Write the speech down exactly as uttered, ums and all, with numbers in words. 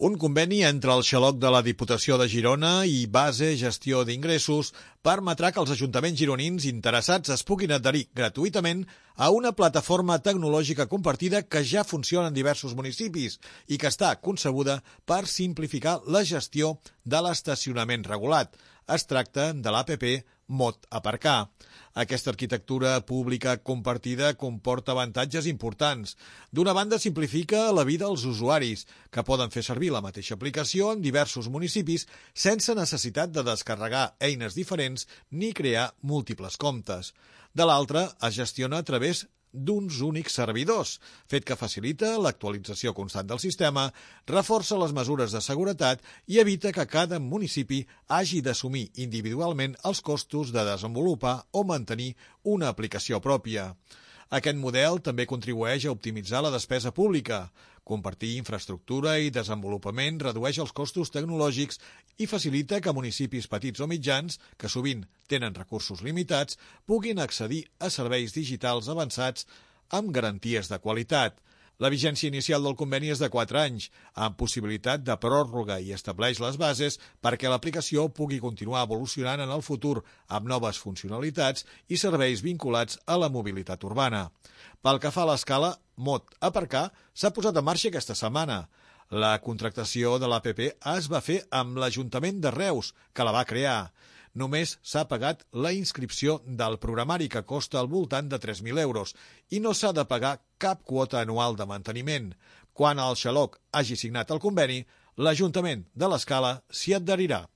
Un conveni entre el xaloc de la Diputació de Girona i Base Gestió d'Ingressos permetrà que els ajuntaments gironins interessats es puguin adherir gratuïtament a una plataforma tecnològica compartida que ja funciona en diversos municipis i que està concebuda per simplificar la gestió de l'estacionament regulat. Es tracta de l'A P P Mot Aparcar. Aquesta arquitectura pública compartida comporta avantatges importants. D'una banda, simplifica la vida als usuaris, que poden fer servir la mateixa aplicació en diversos municipis sense necessitat de descarregar eines diferents ni crear múltiples comptes. De l'altra, es gestiona a través d'uns únics servidors, fet que facilita l'actualització constant del sistema, reforça les mesures de seguretat i evita que cada municipi hagi d'assumir individualment els costos de desenvolupar o mantenir una aplicació pròpia. Aquest model també contribueix a optimitzar la despesa pública. Compartir infraestructura i desenvolupament redueix els costos tecnològics i facilita que municipis petits o mitjans, que sovint tenen recursos limitats, puguin accedir a serveis digitals avançats amb garanties de qualitat. La vigència inicial del conveni és de quatre anys, amb possibilitat de pròrroga i estableix les bases perquè l'aplicació pugui continuar evolucionant en el futur amb noves funcionalitats i serveis vinculats a la mobilitat urbana. Pel que fa a l'escala, Mot Aparcar s'ha posat en marxa aquesta setmana. La contractació de l'A P P es va fer amb l'Ajuntament de Reus, que la va crear. Només s'ha pagat la inscripció del programari, que costa al voltant de tres mil euros, i no s'ha de pagar cap quota anual de manteniment. Quan el xaloc hagi signat el conveni, l'Ajuntament de l'Escala s'hi adherirà.